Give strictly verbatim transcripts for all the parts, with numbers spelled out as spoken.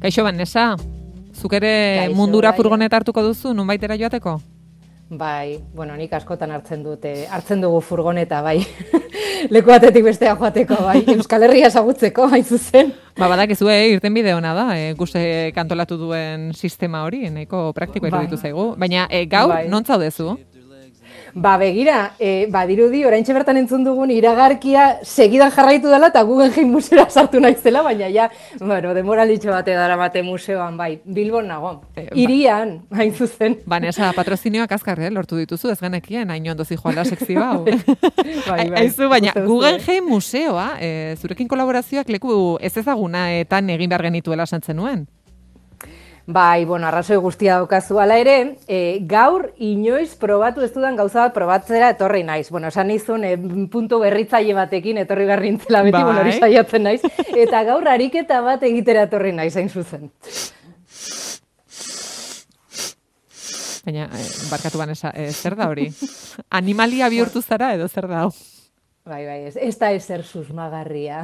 Kaixo, Vanessa, zuk ere Kaixo, mundura bai. furgoneta hartuko duzu, nunbaitera joateko? Bai, bueno, nik askotan hartzen dute, hartzen dugu furgoneta, bai. Leku batetik bestea joateko, bai. Euskal Herria ezagutzeko, hain zuzen. Ba, badakizu, eh, irten bide ona da, eh, guzti kantolatu duen sistema hori, nahiko praktikoa Bai. iruditu zaigu. Baina, eh, gaur, Bai. non zaudezu? Ba, begira, e, badirudi, oraintxe bertan entzun dugun iragarkia segidan jarraitu dela eta Guggenheim museora sartu naizela, baina ja, bueno, demoralitxo bate daramate museoan, bai, Bilbon nago. Eh, ba- Irian, hain zuzen. Vanessa, patrozinioak azkar, eh, lortu dituzu, ez genekien, hain ondo zijoala sekzio hau. Bai, bai, Aizu, baina, uste duzu, Guggenheim museoa, eh, zurekin kolaborazioak leku ez ezagunaetan egin behar genituela santzen nuen. Bai, bueno, arrazoi guztia daukazu ala ere, e, gaur inoiz probatu ez dudan gauza bat probatzera etorri naiz. Bueno, esan nizun, e, puntu berritzaile batekin etorri behar nintzela beti, Bai. bueno, hori saiatzen naiz. Eta gaur ariketa bat egitera etorri naiz, hain zuzen. Baina, eh, barkatu Vanessa, eh, zer da hori? Animalia bihurtu zara edo zer da hau? Bai, bai, ez, ez da ezer susmagarria.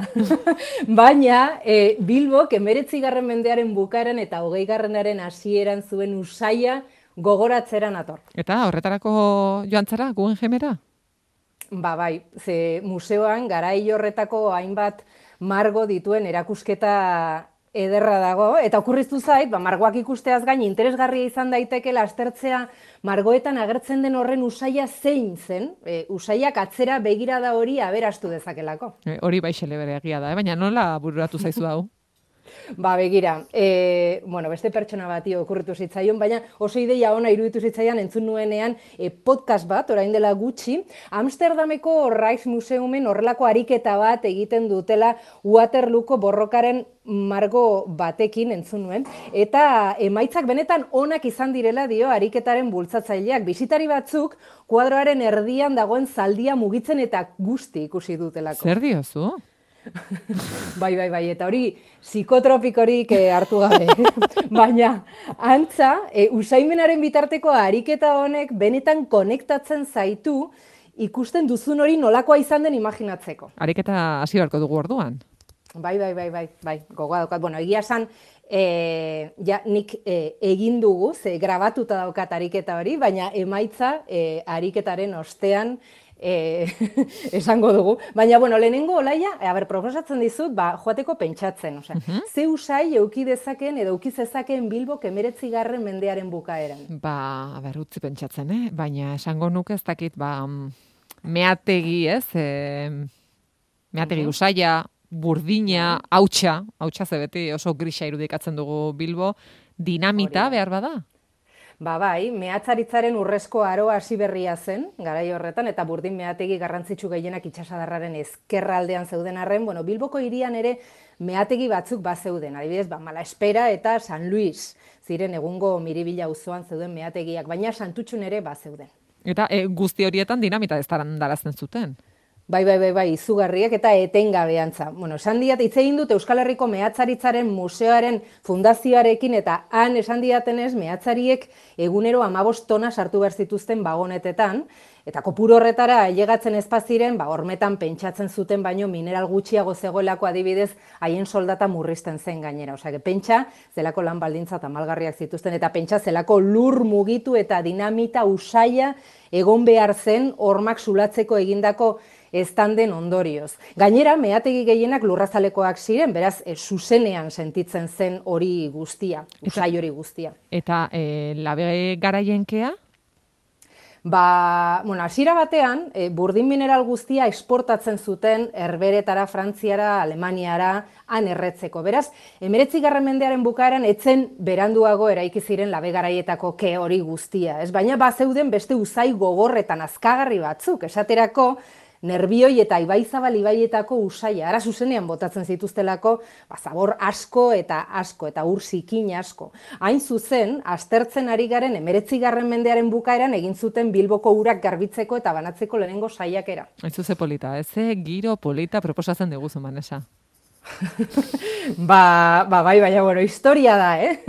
Baina, e, Bilbok emeretzigarren mendearen bukaeran eta hogeigarrenaren hasieran zuen usaia gogoratzera nator. Eta horretarako joan zara, Guggenheimera? Ba, bai, ze museoan garai horretako hainbat margo dituen erakusketa ederra dago, eta okurriztu zait, ba, margoak ikusteaz gain interesgarria izan daitekeela aztertzea margoetan agertzen den horren usaia zein zen, e, usaiak atzera begirada hori aberastu dezakelako. Eh, hori baixele bere egia da, eh? Baina nola bururatu zaizu hau? Ba, begira, e, bueno, beste pertsona bati okurritu zitzaion, baina oso ideia ona iruditu zitzaian entzun nuenean e, podcast bat, orain dela gutxi, Amsterdameko Rijksmuseumen horrelako ariketa bat egiten dutela Waterlooko borrokaren margo batekin entzun nuen, eta emaitzak benetan onak izan direla dio ariketaren bultzatzaileak. Bisitari batzuk kuadroaren erdian dagoen zaldia mugitzen eta guzti ikusi dutelako. Zer diozu? Bai, bai, bai, eta hori psikotropikorik eh, hartu gabe. Baina, antza, e, usaimenaren bitarteko ariketa honek benetan konektatzen zaitu ikusten duzun hori nolakoa izan den imaginatzeko. Ariketa hasi beharko dugu orduan. Bai, bai, bai, bai, bai, gogoa daukat. Bueno, egia esan, e, ja, nik e, egin dugu, ze grabatuta daukat ariketa hori, baina emaitza e, ariketaren ostean E, esango dugu. Baina, bueno, lehenengo olaia, a ber, proposatzen dizut, ba, joateko pentsatzen. Osea, Mhm. ze usai euki dezaken edo euki zezakeen Bilbok emeretzigarren mendearen bukaeran. Ba, ber, utzi pentsatzen, eh? Baina esango nuke ez dakit, ba, mm, meategi, ez? E, meategi Mhm. usaia, burdina, hautsa, hautsa ze beti oso grisa irudikatzen dugu Bilbo, dinamita Hori da. behar bada? Ba bai, mehatzaritzaren urrezko aroa hasi berria zen, garai horretan, eta burdin meategi garrantzitsu gehienak itsasadarraren ezkerraldean zeuden arren, bueno, Bilboko hirian ere meategi batzuk bazeuden, adibidez, ba, Malaespera eta San Luis, ziren egungo Miribilla auzoan zeuden meategiak, baina Santutxun ere bazeuden. Eta e, guzti horietan dinamita ez darazten zuten. Bai, bai, bai, bai, izugarriak eta etengabeantza. Bueno, esan diat, hitz egin dut Euskal Herriko Mehatzaritzaren Museoaren fundazioarekin, eta han esan diatenez, mehatzariek egunero hamabost tona sartu behar zituzten bagonetetan, eta kopuru horretara ailegatzen ez baziren, ba, hormetan pentsatzen zuten baino mineral gutxiago zegoelako adibidez, haien soldata murrizten zen gainera. Osea, pentsa, zelako lan baldintza tamalgarriak zituzten, eta pentsa, zelako lur mugitu eta dinamita usaia egon behar zen hormak zulatzeko egindako eztanden ondorioz. Gainera, meategi gehienak lurrazalekoak ziren, beraz, e, zuzenean sentitzen zen hori guztia, usai hori guztia. Eta e, labe garailenkea? Ba, bueno, hasiera batean, e, burdin mineral guztia esportatzen zuten Herberetara, Frantziara, Alemaniara, han erretzeko. Beraz, emeretzigarren mendearen bukaeran etzen beranduago eraiki ziren labe garaietako ke hori guztia, ez? Baina bazeuden beste uzai gogorretan azkagarri batzuk, esaterako, Nerbioi eta Ibaizabal ibaietako usaia, ara zuzenean botatzen zituztelako, ba, zabor asko eta asko, eta ur zikin asko. Hain zuzen, aztertzen ari garen emeretzigarren mendearen bukaeran egin zuten Bilboko urak garbitzeko eta banatzeko lehenengo saiakera. Ez zuze polita, ez ze giro polita proposatzen diguzu, Vanessa. ba, ba, bai, baina, bueno, historia da, eh?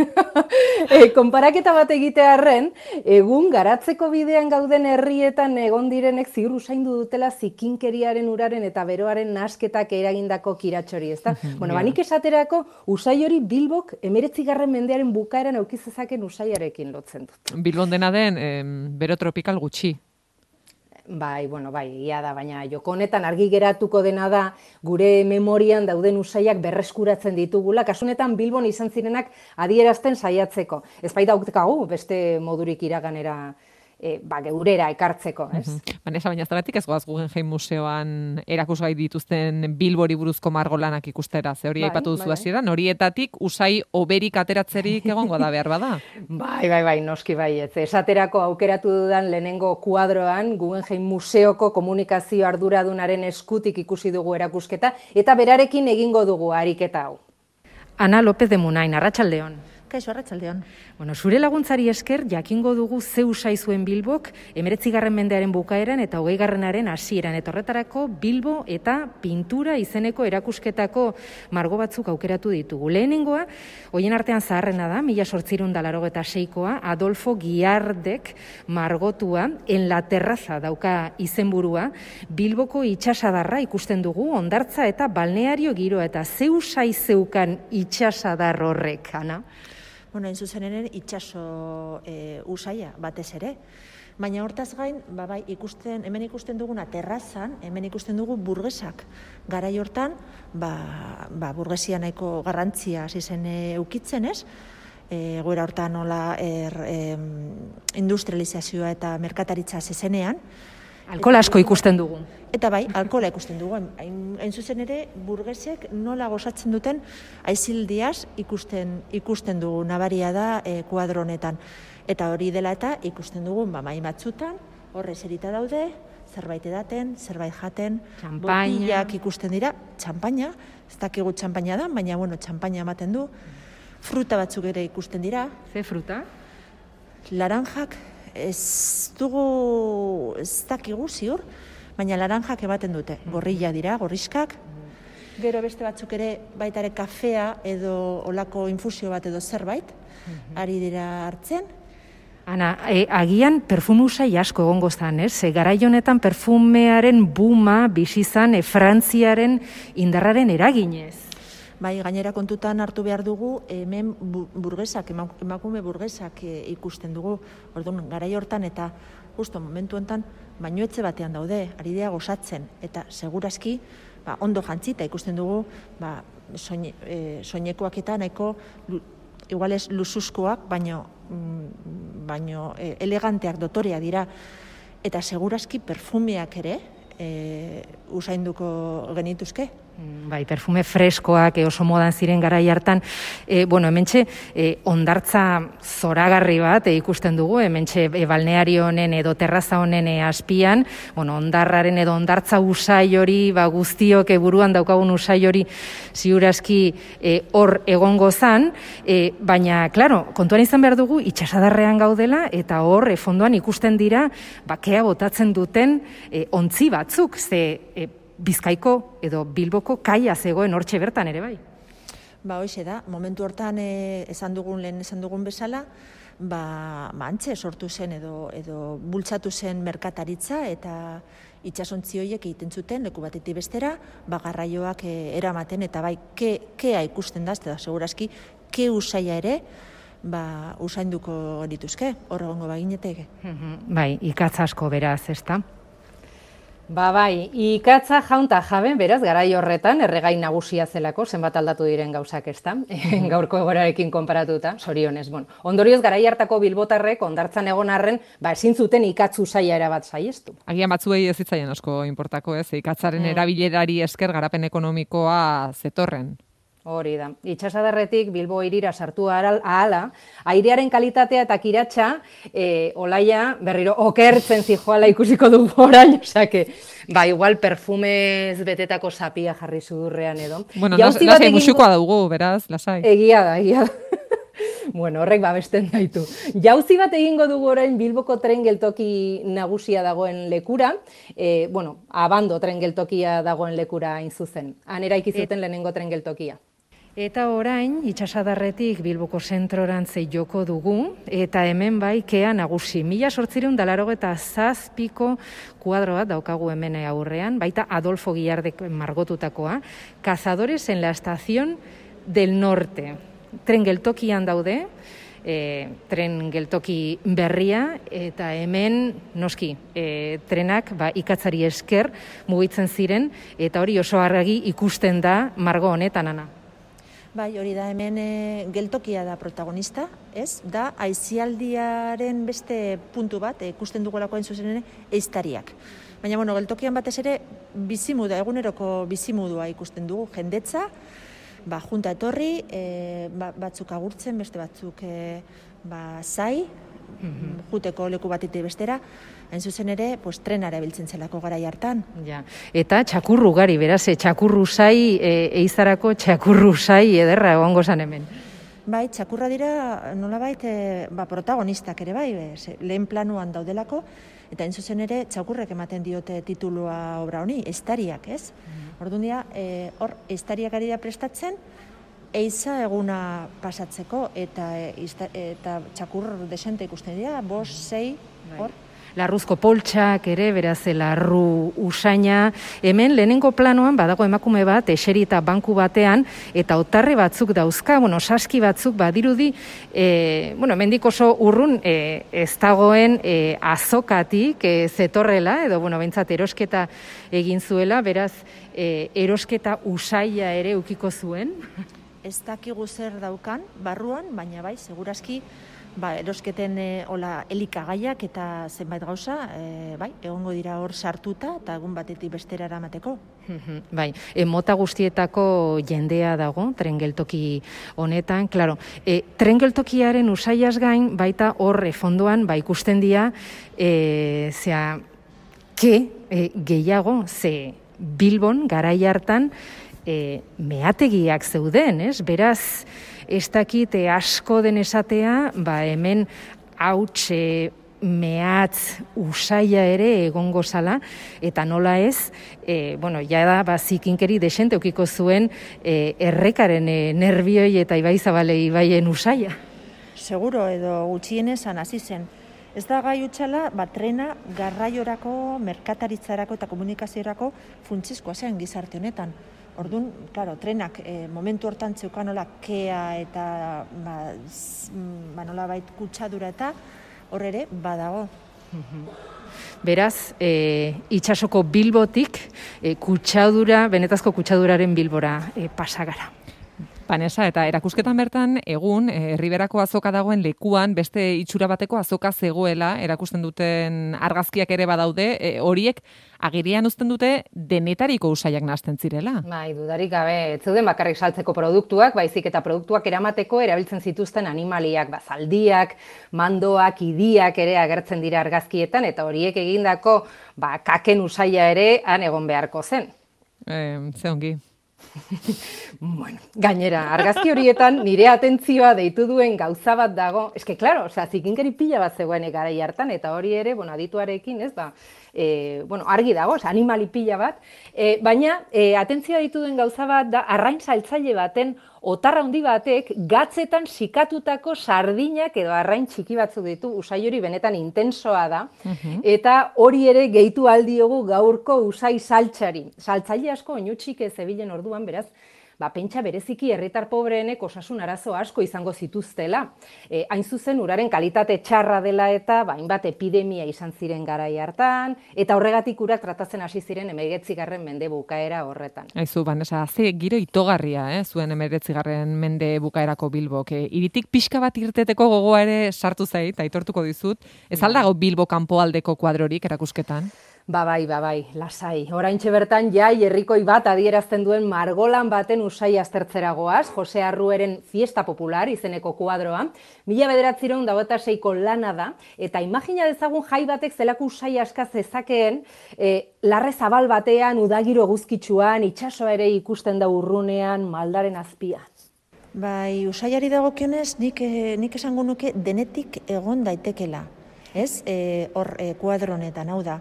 e, konparaketa bat egitearren, egun garatzeko bidean gauden herrietan egon direnek ziur usaindu dutela zikinkeriaren uraren eta beroaren nasketak eragindako kiratxori, ezta? Bueno, banik esaterako, usai hori Bilbok emeretzigarren mendearen bukaeran aukizezaken usaiarekin lotzen dut. Bilbon dena den, em, bero tropikal gutxi. Bai, bueno, bai, egia da, baina joko honetan argi geratuko dena da gure memorian dauden usaiak berreskuratzen ditugula, kasu honetan Bilbon izan zirenak adierazten saiatzeko. Ez baita daukagu beste modurik iraganera e, ba, geurera ekartzeko, ez? Mm-hmm. Vanessa, baina zeratik ez goaz Guggenheim Museoan erakusgai dituzten Bilbori buruzko margolanak ikustera, ze hori bai, aipatu duzu hasieran, bai. Horietatik usai oberik ateratzerik egongo da behar bada? Bai, bai, bai, noski bai, ez. Esaterako aukeratu dudan lehenengo kuadroan Guggenheim Museoko komunikazio arduradunaren eskutik ikusi dugu erakusketa, eta berarekin egingo dugu ariketa hau. Ana López de Munain, arratsaldeon. Kaixo, arratsaldeon. Bueno, zure laguntzari esker jakingo dugu ze usai zuen Bilbok emeretzigarren mendearen bukaeran eta hogeigarrenaren hasieran, eta horretarako Bilbo eta pintura izeneko erakusketako margo batzuk aukeratu ditugu. Lehenengoa, hoien artean zaharrena da, mila zortziehun eta laurogeita seikoa, Adolfo Guiardek margotua, En la terraza dauka izenburua, Bilboko itsasadarra ikusten dugu, hondartza eta balneario giroa, eta ze usai zeukan itsasadar horrek, Ana? Bueno, hain zuzen ere, itxaso e, usaia batez ere. Baina hortaz gain, ba, bai, ikusten, hemen ikusten duguna terrazan, hemen ikusten dugu burgesak. Garai hortan, ba, ba, burgesia nahiko garrantzia hasi zen eukitzen, ez? E, goera hortan nola er, e, industrializazioa eta merkataritza zezenean. Alkohol asko ikusten dugu. Eta bai, alkohola ikusten dugu. Hain, hain zuzen ere, burgesek nola gozatzen duten aizildiaz ikusten ikusten dugu, nabaria da e, kuadro honetan. Eta hori dela eta ikusten dugu, ba, mai batzutan, horre eserita daude, zerbait edaten, zerbait jaten, botillak ikusten dira, txampaina, ez dakigu txampaina da, baina, bueno, txampaina ematen du, fruta batzuk ere ikusten dira. Ze fruta? Laranjak, ez dugu, ez dakigu ziur, baina laranjak ematen dute, gorrilla dira, gorriskak. Gero beste batzuk ere baitare kafea edo olako infusio bat edo zerbait, ari dira hartzen. Ana, e, agian perfumusai asko egongo zan, ez? E, garai honetan perfumearen buma bizizan e, Frantziaren indarraren eraginez. Bai, gainera kontutan hartu behar dugu, hemen burgesak, emakume burgesak ikusten dugu, orduan, garai hortan eta justo momentu honetan, bainuetxe batean daude, ari dira gozatzen, eta segurazki, ba, ondo jantzita ikusten dugu, ba, soine, e, soinekoak eta nahiko, igual ez luxuzkoak, baino, baino e, eleganteak, dotoreak dira, eta segurazki perfumeak ere, e, usainduko genituzke. Bai, perfume freskoak oso modan ziren garai hartan. E, bueno, hementxe, e, ondartza zoragarri bat e, ikusten dugu, hementxe e, balneario honen edo terraza honen e, azpian, bueno, ondarraren edo ondartza usai hori, ba, guztiok e, buruan daukagun usai hori ziurazki e, hor egongo zan, e, baina, klaro, kontuan izan behar dugu, itsasadarrean gaudela, eta hor e, fondoan ikusten dira, bakea botatzen duten e, ontzi batzuk, ze e, Bizkaiko edo Bilboko kaia zegoen hortxe bertan ere bai. Ba, hoxe da, momentu hortan e, esan dugun lehen esan dugun bezala, ba, ba antxe sortu zen edo edo bultzatu zen merkataritza eta itsasontzi horiek egiten zuten leku batetik bestera, ba garraioak e, eramaten eta bai ke, kea ikusten da, eta segurazki ke usaia ere ba usainduko dituzke, hor egongo bagineteke. Bai, ikatz asko beraz, ezta? Ba bai, ikatza jaunta jaben, beraz, garai horretan, erregai nagusia zelako, zenbat aldatu diren gauzak ez da, gaurko egorarekin konparatuta, sorionez, bon. Ondorioz, garai hartako bilbotarrek, ondartzan egon arren, ba, ezin zuten ikatzu saia erabat saiestu. Agian batzuei ez zitzaien asko inportako, ez? Ikatzaren mm. erabilerari esker garapen ekonomikoa zetorren. Hori da. Itsasadarretik Bilbo hirira sartu ahala, airearen kalitatea eta kiratsa, e, olaia berriro okertzen zijoala ikusiko du orain, osake, ba, igual perfumez betetako zapia jarri sudurrean edo. Bueno, lasai musukoa dugu, beraz, lasai. Egia da, egia da. Bueno, horrek babesten gaitu. Jauzi bat egingo dugu orain Bilboko tren geltoki nagusia dagoen lekura, e, bueno, Abando tren geltokia dagoen lekura hain zuzen. Han eraiki zuten lehenengo tren geltokia. Eta orain, itxasadarretik Bilboko zentrorantze joko dugu, eta hemen bai kea nagusi. Mila sortzireun dalaro eta zazpiko kuadro bat daukagu hemen aurrean, baita Adolfo Guillardek margotutakoa, Cazadores en la estación del norte. Tren geltokian daude, e, tren geltoki berria, eta hemen noski, e, trenak ba, ikatzari esker mugitzen ziren, eta hori oso argi ikusten da margo honetan, Ana. Bai, hori da hemen e, geltokia da protagonista, ez? Da aisialdiaren beste puntu bat, e, ikusten dugulako hain zuzen ere, ehiztariak. Baina, bueno, geltokian batez ere bizimudua, eguneroko bizimudua ikusten dugu, jendetza, ba, junta etorri, e, ba, batzuk agurtzen, beste batzuk e, ba, zai, mm-hmm. juteko leku batetik bestera, hain zuzen ere, pues, trenara biltzen zelako garai hartan. Ja. Eta txakurru gari, beraz, e, txakurru zai, e, eizarako txakurru zai ederra egongo zan hemen. Bai, txakurra dira, nolabait, e, ba, protagonistak ere bai, e, lehen planuan daudelako, eta hain zuzen ere, txakurrek ematen diote titulua obra honi, ehiztariak, ez? Mm. Orduan dira, e, hor, ehiztariak ari da prestatzen, eiza eguna pasatzeko, eta, e, eta txakur desente ikusten dira, bos, sei, hor, Larruzko poltsak ere, beraz, larru usaina. Hemen, lehenengo planoan, badago emakume bat, eserita banku batean, eta otarre batzuk dauzka, bueno, saski batzuk badirudi, e, bueno, mendik oso urrun e, ez dagoen e, azokatik e, zetorrela, edo, bueno, bentsat erosketa egin zuela, beraz, e, erosketa usaia ere ukiko zuen. Ez dakigu zer daukan, barruan, baina bai, segurazki, ba, erosketen e, hola elikagaiak eta zenbait gauza, e, bai, egongo dira hor sartuta eta egun batetik bestera eramateko. Bai, e, mota guztietako jendea dago tren geltoki honetan, claro. E, tren geltokiaren usaiaz gain baita hor e, fondoan ba ikusten dira e, zea ke e, gehiago ze Bilbon garai hartan e, meategiak zeuden, ez? Beraz, ez dakit asko den esatea, ba hemen hautxe, mehatz, usaia ere egongo zala, eta nola ez, e, bueno, ja da, ba, zikinkeri desente ukiko zuen e, errekaren e, nervioi eta Ibai Zabale Ibaien usaia. Seguro edo gutxienezan hasi zen. Ez da gai utxala, ba, trena garraiorako, merkataritzarako eta komunikaziorako funtsezkoa zen gizarte honetan. Orduan, claro, trenak e, momentu hortan zeukanola kea eta ba, ba, nola bait kutsadura eta hor ere badago. Beraz, e, itsasoko Bilbotik e, kutsadura, benetazko kutsaduraren Bilbora e, pasagara. Vanessa, eta erakusketan bertan, egun, Herriberako azoka dagoen lekuan, beste itxura bateko azoka zegoela, erakusten duten argazkiak ere badaude, e, horiek agirian uzten dute denetariko usaiak nahasten zirela. Bai, dudarik gabe, ez zeuden bakarrik saltzeko produktuak, baizik eta produktuak eramateko erabiltzen zituzten animaliak, bazaldiak, mandoak, idiak ere agertzen dira argazkietan, eta horiek egindako ba, kaken usaia ere han egon beharko zen. Eh, ze ongi. Bueno, gainera, argazki horietan nire atentzioa deitu duen gauza bat dago. Eske, klaro, osea, zikinkeri pila bat zegoen garai hartan, eta hori ere, bueno, adituarekin, ez da, e, bueno, argi dago, osea, animali pila bat, e, baina, e, atentzioa deitu duen gauza bat da, arrain saltzaile baten, otarra handi batek, gatzetan sikatutako sardinak edo arrain txiki batzuk ditu, usai hori benetan intensoa da, uh-huh. Eta hori ere gehitu aldiogu gaurko usai saltzari. Saltzaile asko oinutxik zebilen orduan, beraz, ba, pentsa bereziki herritar pobreenek osasun arazo asko izango zituztela. E, hain zuzen uraren kalitate txarra dela eta hainbat ba, epidemia izan ziren garai hartan, eta horregatik urak tratatzen hasi ziren hemeretzigarren mende bukaera horretan. Aizu, Vanessa, ze giro itogarria, eh, zuen hemeretzigarren mende bukaerako Bilbok. E, iritik pixka bat irteteko gogoa ere sartu zait, aitortuko dizut. Ez aldago Bilbo kanpoaldeko kuadrorik erakusketan? Ba bai, ba bai, lasai. Oraintxe bertan jai herrikoi bat adierazten duen margolan baten usai aztertzera goaz, Jose Arrueren Fiesta Popular izeneko kuadroa, mila bederatziehun eta hogeita seiko lana da, eta imagina dezagun jai batek zelako usai aska zezakeen, e, larre zabal batean, udagiro eguzkitsuan, itsasoa ere ikusten da urrunean, maldaren azpian. Bai, usaiari dagokionez, nik, nik esango nuke denetik egon daitekela. Ez, e, hor e, kuadro honetan, hau da,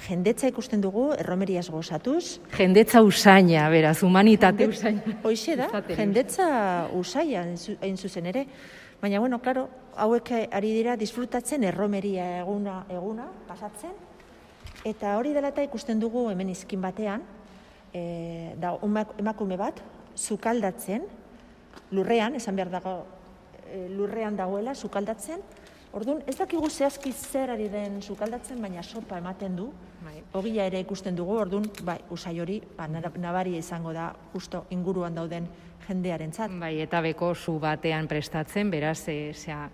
jendetza ikusten dugu, erromeriaz gozatuz. Jendetza usaina, beraz, humanitate Jende, usaina. Hoixe da, jendetza usaia, hain zuzen ere. Baina, bueno, klaro, hauek ari dira disfrutatzen erromeria eguna, eguna pasatzen. Eta hori dela eta ikusten dugu hemen izkin batean, e, da, emakume bat, sukaldatzen, lurrean, esan behar dago, e, lurrean dagoela, sukaldatzen. Orduan, ez dakigu zehazki zer ari den sukaldatzen, baina sopa ematen du. Ogia ere ikusten dugu, orduan, bai, usai hori, ba, nabaria izango da, justo inguruan dauden jendearentzat. Bai, eta beko zu batean prestatzen, beraz, e, zera,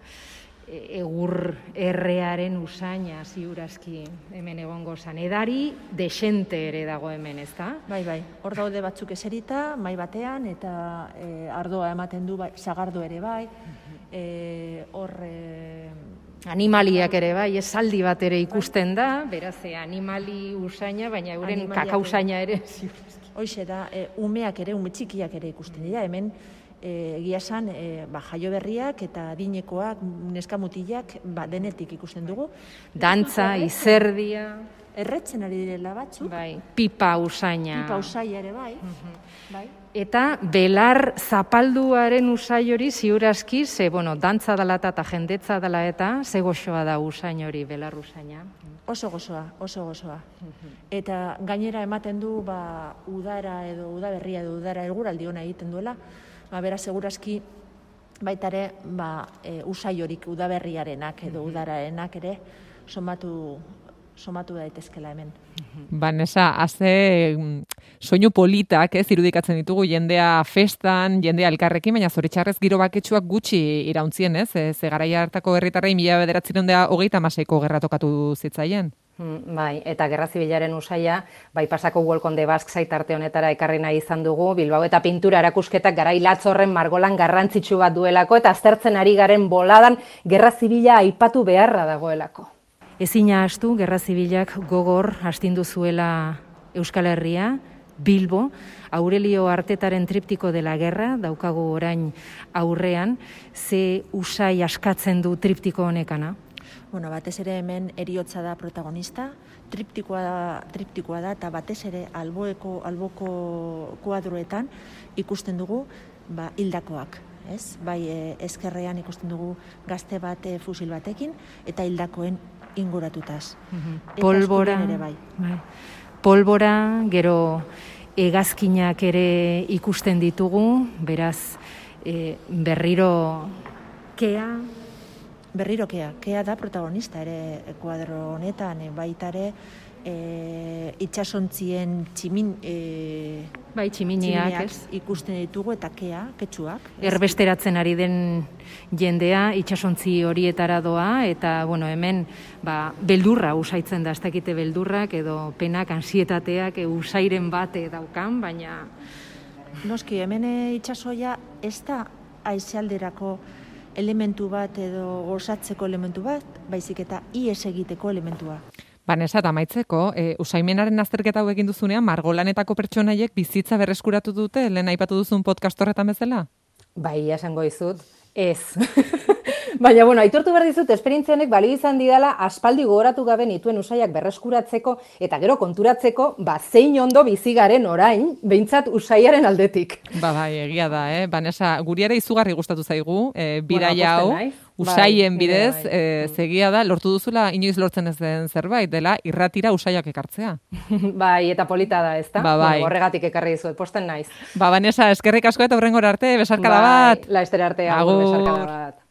egur errearen usaina ziurazki hemen egongo zan. Edari desente ere dago hemen, ez da? Bai, bai, hor daude batzuk eserita, mai batean, eta e, ardoa ematen du, bai, sagardo ere bai, e, hor... E, animaliak ere bai, esaldi bat ere ikusten da, beraz, e, animali usaina, baina euren kakausaina ere ziurazki. Hoixe da, e, umeak ere, ume txikiak ere ikusten dira, hemen, egia esan, e, ba, jaio berriak eta adinekoak, neskamutilak, ba, denetik ikusten dugu. Dantza, izerdia. Erretzen ari direla batzuk. Bai, pipa usaina. Pipa usaia ere bai. Bai. Eta belar zapalduaren usai hori ziurazki, ze, bueno, dantza dela eta jendetza dela eta, ze goxoa da usain hori, belar usaina. Oso gozoa, oso gozoa. Eta gainera ematen du, ba, udara edo udaberria edo udara eguraldi ona egiten duela, ba, bera segurazki baitare ba, e, usai horik udaberriarenak edo udararenak ere somatu, somatu daitezkela hemen. Vanessa, haze soinu politak, ez, irudikatzen ditugu jendea festan, jendea elkarrekin, baina zoritxarrez giro baketsuak gutxi irauntzien, ez? Ze garaia hartako herritarrei mila bederatziehun eta hogeita hamaseiko gerra tokatu zitzaien. Bai, eta Gerra Zibilaren usaia, bai pasako Welcome the Basque site arte honetara ekarri nahi izan dugu, Bilbao eta pintura erakusketak garai Latzorren margolan garrantzitsu bat duelako, eta aztertzen ari garen boladan Gerra Zibila aipatu beharra dagoelako. Ezina astu, Gerra Zibilak gogor astindu zuela Euskal Herria, Bilbo, Aurelio Artetaren triptiko de la guerra, daukagu orain aurrean, ze usai askatzen du triptiko honekana? Bueno, batez ere hemen heriotza da protagonista, triptikoa da, triptikoa da eta batez ere alboeko, alboko kuadroetan ikusten dugu ba, hildakoak. Ez? Bai e, ezkerrean ikusten dugu gazte bat e, fusil batekin eta hildakoen inguratutaz. Mm-hmm. Polbora, ere bai. Bai. Polbora, gero hegazkinak ere ikusten ditugu, beraz e, berriro kea, Berriro kea, kea da protagonista ere kuadro honetan, baita ere e, itsasontzien tximin, e, bai, tximiniak, ez? Ikusten ditugu eta kea, ketxuak. Erbesteratzen ari den jendea itsasontzi horietara doa eta bueno, hemen ba, beldurra usaitzen da, ez dakite beldurrak edo penak, ansietateak e, usairen bate daukan, baina noski hemen itsasoia ez da aizealderako elementu bat edo gozatzeko elementu bat, baizik eta ies egiteko elementua. Vanessa, eta amaitzeko, e, usaimenaren azterketa hau egin duzunean, margolanetako pertsonaiek bizitza berreskuratu dute, lehen aipatu duzun podcast horretan bezala? Bai, esango dizut, ez. Baina, bueno, aitortu behar dizut, esperientzia honek balio izan didala aspaldi gogoratu gabe nituen usaiak berreskuratzeko eta gero konturatzeko, ba, zein ondo bizigaren orain, behintzat usaiaren aldetik. Ba, bai, egia da, eh? Vanessa, guri ere izugarri gustatu zaigu, e, biraia hau, bueno, usaien bai, bidez, bai. e, zegia da, lortu duzula inoiz lortzen ez den zerbait, dela irratira usaiak ekartzea. Bai, eta polita da, ezta? Ba, bai. Bueno, horregatik ekarri dizuet, posten naiz. Ba, Vanessa, eskerrik asko eta hurrengora arte, besarkada bai, bat. laester arte, agur, besarkada bat.